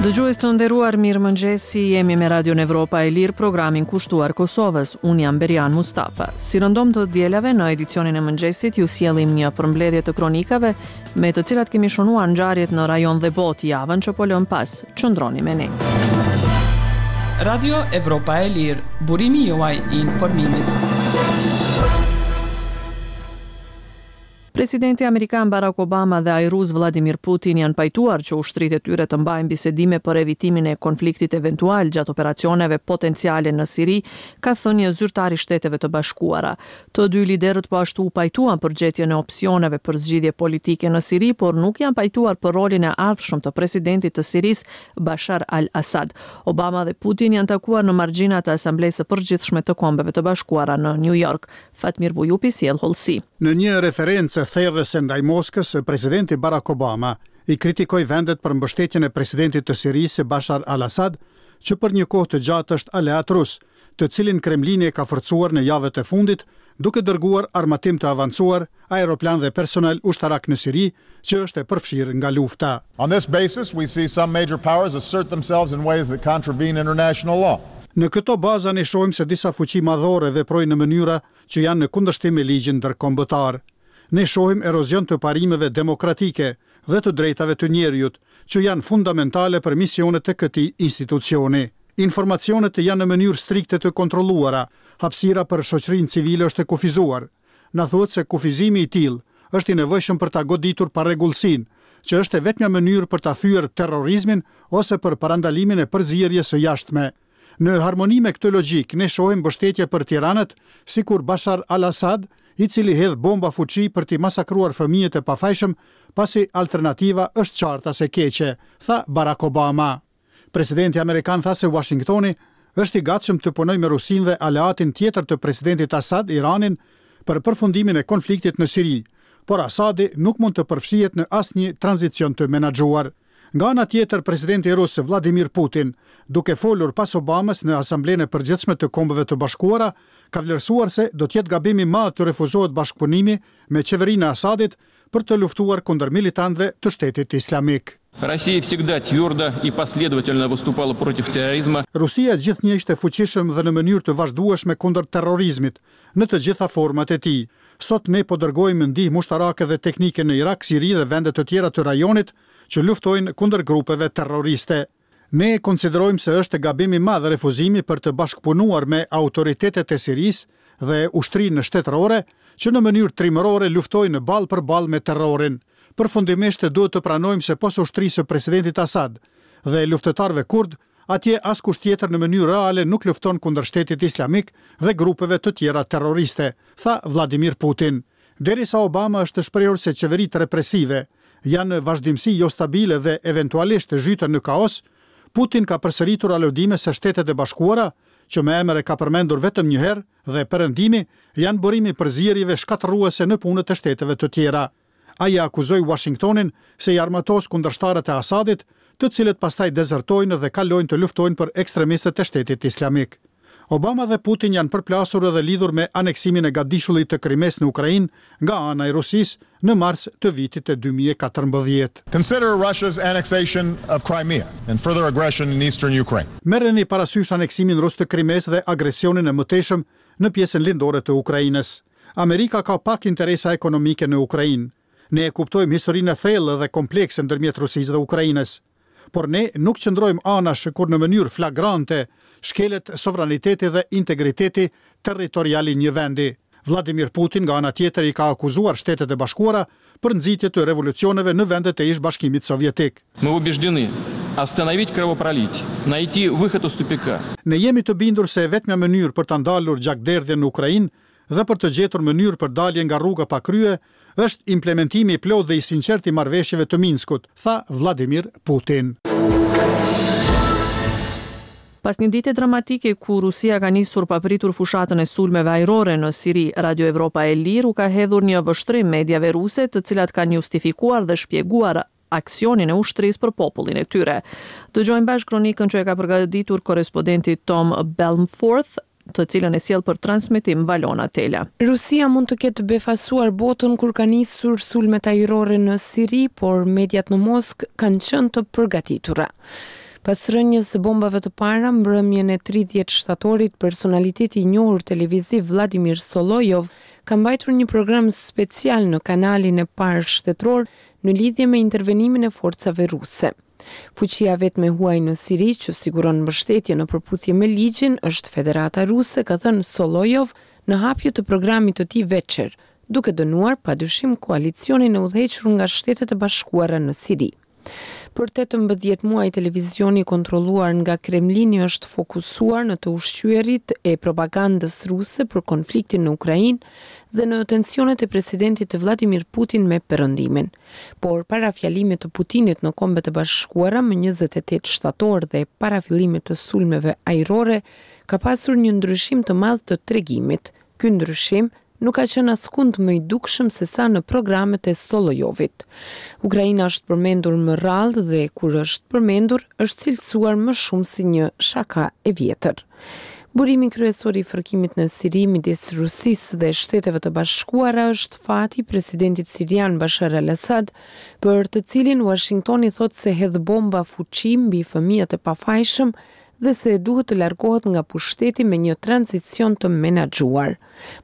Dëgjues të nderuar, mirëmëngjesi, jemi me Radion Evropa e Lirë, programin kushtuar Kosovës. Unë jam Berian Mustafa. Si rëndom të dielave në edicionin e mëngjesit, ju sjellim një përmbledhje të kronikave me të cilat kemi shënuar ngjarjet në rajon dhe botë javën që po lëmë pas. Qëndroni me ne. Radio Evropa e Lirë, burimi juaj i informimit. Presidenti amerikan Barack Obama dhe ai rus Vladimir Putin janë pajtuar që ushtritë e tyre të mbajnë bisedime për evitimin e konfliktit eventual gjatë operacioneve potenciale në Siri, ka thënë një zyrtar i Shteteve të Bashkuara. Të dy liderët po ashtu u pajtuan për gjetjen e opsioneve për zgjidhje politike në Siri, por nuk janë pajtuar për rolin e ardhshëm të presidentit të Sirisë, Bashar al-Assad. Obama dhe Putin janë takuar në margjina të Asamblesë së Përgjithshme të Kombeve të Bashkuara në Nju Jork. Fatmir Bujupi sjell hollësi. Në një referencë therëse ndaj Moskës, presidenti Barack Obama i kritikoi vendet për mbështetjen e presidentit të Sirisë, Bashar al-Assad, që për një kohë të gjatë është aleat rus, të cilin Kremlini e ka forcuar në javët e fundit, duke dërguar armatim të avancuar, aeroplanë dhe personel ushtarak në Siri, që është e përfshirë nga lufta. On this basis, we see some major powers assert themselves in ways that contravene international law. Në këto baza ne shohim se disa fuqi madhore veprojnë në mënyra që janë në kundërshtim me ligjin ndërkombëtar. Ne shohim erozion të parimeve demokratike dhe të drejtave të njeriut, që janë fundamentale për misionet e këtij institucioni. Informacionet janë në mënyrë strikte të kontrolluara, hapësira për shoqërinë civile është e kufizuar. Na thuhet se kufizimi i tillë është i nevojshëm për ta goditur parregullsinë, që është e vetmja mënyrë për ta thyer terrorizmin ose për parandalimin e përzierjes së jashtme. Në harmoni me këtë logjikë, ne shohim mbështetje për tiranët, sikur Bashar al-Assad, i cili hedh bomba fuçi për t'i masakruar fëmijët e pafajshëm, pasi alternativa është qartas e keqe, tha Barack Obama. Presidenti amerikan tha se Uashingtoni është i gatshëm të punojë me Rusinë dhe aleatin tjetër të presidentit Assad, Iranin, për përfundimin e konfliktit në Siri, por Assadi nuk mund të përfshihet në asnjë tranzicion të menaxhuar. Nga ana tjetër, presidenti rus Vladimir Putin, duke folur pas Obamës në Asamblenë e Përgjithshme të Kombeve të Bashkuara, ka vlerësuar se do të jetë gabim i madh të refuzohet bashkëpunimi me qeverinë e Asadit për të luftuar kundër militantëve të Shtetit Islamik. Россия всегда твердо и последовательно выступала против терроризма. Rusia gjithnjë ishte fuqishëm dhe në mënyrë të vazhdueshme kundër terrorizmit, në të gjitha format e tij. Sot ne po dërgojmë ndihmë ushtarake dhe teknike në Irak, Siri dhe vende të tjera të rajonit që luftojnë kundër grupeve terroriste. Ne e konsiderojmë se është gabim i madh refuzimi për të bashkëpunuar me autoritetet e Sirisë dhe ushtrinë shtetërore që në mënyrë trimërore luftojnë ballë për ballë me terrorin. Përfundimisht duhet të pranojmë se pos ushtrisë së presidentit Assad dhe luftëtarëve kurdë, atje askush tjetër në mënyrë reale nuk lufton kundër Shtetit Islamik dhe grupeve të tjera terroriste, tha Vladimir Putin. Derisa Obama është shprehur se qeveritë represive janë në vazhdimësi jostabile dhe eventualisht zhyten në kaos, Putin ka përsëritur aludime se Shtetet e Bashkuara, që me emër e ka përmendur vetëm një herë, dhe Perëndimi janë burim i përzierjeve shkatërruese në punët e shteteve të tjera. Ai e akuzoi Uashingtonin se i armatos kundërshtarët e Asadit, të cilët pastaj dezertojnë dhe kalojnë të luftojnë për ekstremistët e Shtetit Islamik. Obama dhe Putin janë përplasur edhe lidhur me aneksimin e gadishullit të Krimesë në Ukrainë nga ana e Rusisë në mars të vitit 2014. Consider Russia's annexation of Crimea and further aggression in eastern Ukraine. Merreni parasysh aneksimin rus të Krimesë dhe agresionin e mëtejshëm në pjesën lindore të Ukrainës. Amerika ka pak interesa ekonomike në Ukrainë. Ne e kuptojmë historinë e thellë dhe komplekse ndërmjet Rusisë dhe Ukrainës. Por ne nuk qëndrojmë anash kur në mënyrë flagrante shkelet sovraniteti dhe integriteti territorial i një vendi. Vladimir Putin nga ana tjetër i ka akuzuar Shtetet e Bashkuara për nxitje të revolucioneve në vendet e ish-Bashkimit Sovjetik. Мы убеждены, остановить кровопролитие, найти выход из тупика. Ne jemi të bindur se e vetmja mënyrë për ta ndalur gjakderdhjen në Ukrainë dhe për të gjetur mënyrë për dalje nga rruga pa krye është implementimi i plotë dhe i sinqertë i marrëveshjeve të Minskut, tha Vladimir Putin. Pas një dite dramatike ku Rusia ka nisur papritur fushatën e sulmeve ajrore në Siri, Radio Evropa e Lirë u ka hedhur një vështrim mediave ruse, të cilat kanë justifikuar dhe shpjeguar aksionin e ushtrisë për popullin e tyre. Dëgjojmë bashkë kronikën që e ka përgatitur korrespondenti Tom Balmforth, të cilën e sjell për transmetim Valona Tela. Rusia mund të ketë befasuar botën kur ka nisur sulmet ajrore në Siri, por mediat në Moskë kanë qenë të përgatitura. Pas rënies së bombave të para mbrëmjen e 30 shtatorit, personaliteti i njohur televiziv Vladimir Solovjov ka mbajtur një program special në kanalin e parë shtetëror në lidhje me intervenimin e forcave ruse. Fuqia e vetme e huaj në Siri që siguron mbështetje në përputhje me ligjin është Federata Ruse, ka thënë Solovjov në hapje të programit të tij Veçer, duke dënuar padyshim koalicionin e udhëhequr nga Shtetet e Bashkuara në Siri. Për 18 muaj televizioni i kontrolluar nga Kremlini është fokusuar në të ushqyerit e propagandës ruse për konfliktin në Ukrainë dhe në tensionet e presidentit Vladimir Putin me Perëndimin. Por para fjalimit të Putinit në Kombet e Bashkuara më 28 shtator dhe para fillimit të sulmeve ajrore, ka pasur një ndryshim të madh të tregimit. Ky ndryshim nuk ka qenë askund më i dukshëm sesa në programet e Solovjovit. Ukraina është përmendur më rrallë dhe kur është përmendur, është cilësuar më shumë si një shaka e vjetër. Burimi kryesor i fërkimit në Siri midis Rusisë dhe Shteteve të Bashkuara është fati i presidentit sirian Bashar al-Assad, për të cilin Uashingtoni thotë se hedh bomba fuçi mbi fëmijët e pafajshëm dhe se duhet të largohet nga pushteti me një tranzicion të menaxhuar.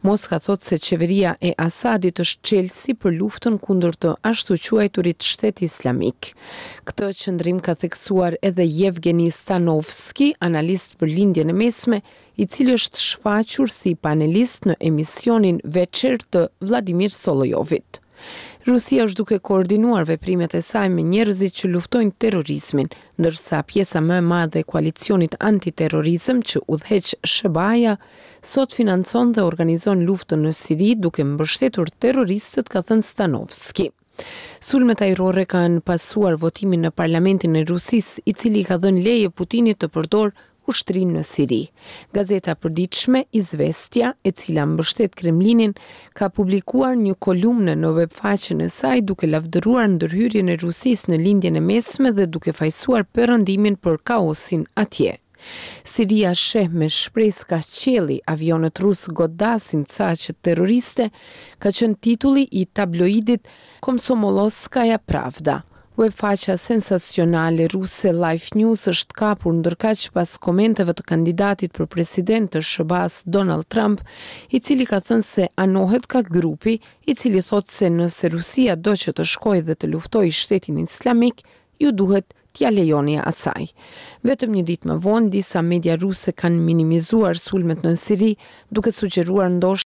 Moska thotë se qeveria e Asadit është çelësi për luftën kundër të ashtuquajturit Shtet Islamik. Këtë qëndrim ka theksuar edhe Yevgeny Stanovsky, analist për Lindjen e Mesme, i cili është shfaqur si panelist në emisionin Veçer të Vladimir Solovjovit. Rusia është duke koordinuar veprimet e saj me njerëzit që luftojnë terrorizmin, ndërsa pjesa më e madhe e koalicionit antiterrorizëm që udhëheq SHBA-ja sot financon dhe organizon luftën në Siri duke mbështetur terroristët, ka thënë Stanovski. Sulmet ajrore kanë pasuar votimin në Parlamentin e Rusisë, i cili i ka dhënë leje Putinit të përdorë ushtrinë në Siri. Gazeta e përditshme Izvestia, e cila mbështet Kremlinin, ka publikuar një kolumnë në webfaqen e saj duke lavdëruar ndërhyrjen e Rusisë në Lindjen e Mesme dhe duke fajësuar Perëndimin për kaosin atje. Siria sheh me shpresë kah qielli, avionët rusë godasin caqet terroriste, ka qenë titulli i tabloidit Komsomolskaja Pravda. Webfaqja sensacionale ruse Life News është kapur ndërkaq pas komenteve të kandidatit për president të SHBA-së Donald Trump, i cili ka thënë se anohet nga grupi, i cili thotë se nëse Rusia do që të shkojë dhe të luftojë Shtetin Islamik, ju duhet t'ia lejoni asaj. Vetëm një ditë më vonë, disa media ruse kanë minimizuar sulmet në Siri, duke sugjeruar ndoshta.